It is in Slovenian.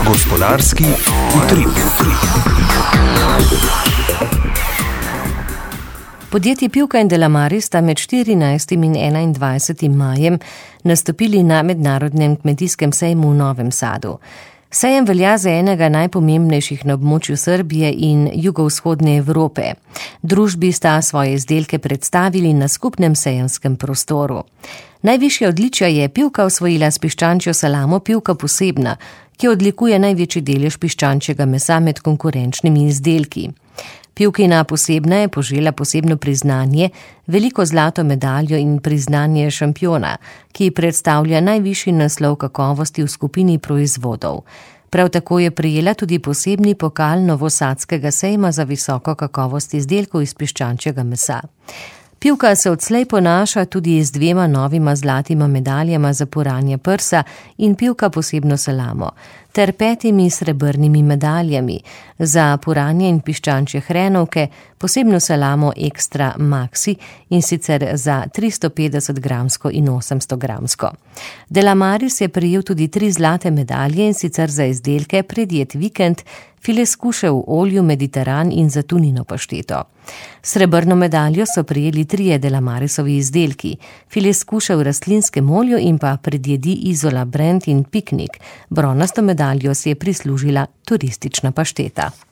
Gospodarski utrip. Podjetji Pivka in Delamaris sta med 14. in 21. majem nastopili na mednarodnem kmetijskem sejmu v Novem Sadu. Sejem velja za enega najpomembnejših na območju Srbije in jugovzhodne Evrope. Družbi sta svoje izdelke predstavili na skupnem sejemskem prostoru. Najvišja odličja je Pivka osvojila s piščančjo salamo Pivka Posebna, ki odlikuje največji delež piščančjega mesa med konkurenčnimi izdelki. Pivkina Posebna je požela posebno priznanje, veliko zlato medaljo in priznanje šampiona, ki predstavlja najvišji naslov kakovosti v skupini proizvodov. Prav tako je prejela tudi posebni pokal Novosadskega sejma za visoko kakovost izdelkov iz piščančjega mesa. Pivka se odslej ponaša tudi z 2 novima zlatima medaljama za puranje prsa in Pivka Posebno salamo, ter 5 srebrnimi medaljami za puranje in piščančje hrenovke, posebno salamo Extra Maxi, in sicer za 350 gramsko in 800 gramsko. Delamaris je prejel tudi 3 zlate medalje, in sicer za izdelke Predjed vikend, file skuše v olju Mediteran in za tunino pašteto. Srebrno medaljo so prejeli 3 Delamarisovi izdelki, file skuše v rastlinskem olju in pa predjedi Izola Brand in Piknik. Bronasto medaljo si je prislužila turistična pašteta.